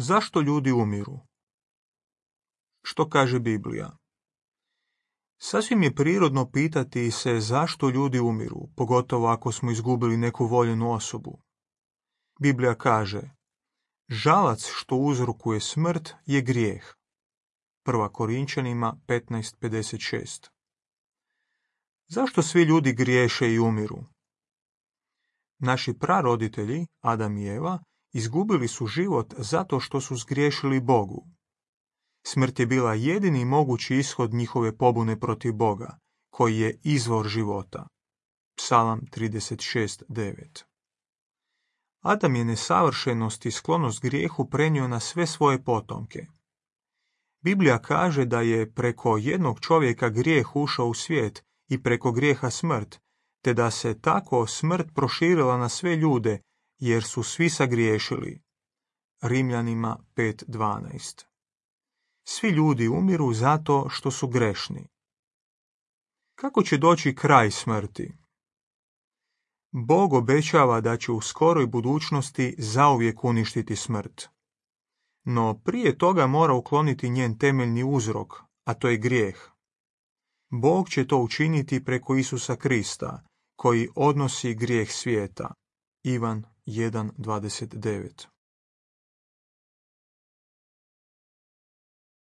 Zašto ljudi umiru? Što kaže Biblija? Sasvim je prirodno pitati se zašto ljudi umiru, pogotovo ako smo izgubili neku voljenu osobu. Biblija kaže: žalac što uzrokuje smrt je grijeh. 1. Korinčanima 15:56. Zašto svi ljudi griješe i umiru? Naši praroditelji, Adam i Eva, izgubili su život zato što su zgriješili Bogu. Smrt je bila jedini mogući ishod njihove pobune protiv Boga, koji je izvor života. Psalam 36:9. Adam je nesavršenost i sklonost grijehu prenio na sve svoje potomke. Biblija kaže da je preko jednog čovjeka grijeh ušao u svijet i preko grijeha smrt, te da se tako smrt proširila na sve ljude, jer su svi sagriješili. Rimljanima 5:12. Svi ljudi umiru zato što su grešni. Kako će doći kraj smrti? Bog obećava da će u skoroj budućnosti zauvijek uništiti smrt. No prije toga mora ukloniti njen temeljni uzrok, a to je grijeh. Bog će to učiniti preko Isusa Krista, koji odnosi grijeh svijeta. Ivan 1:29.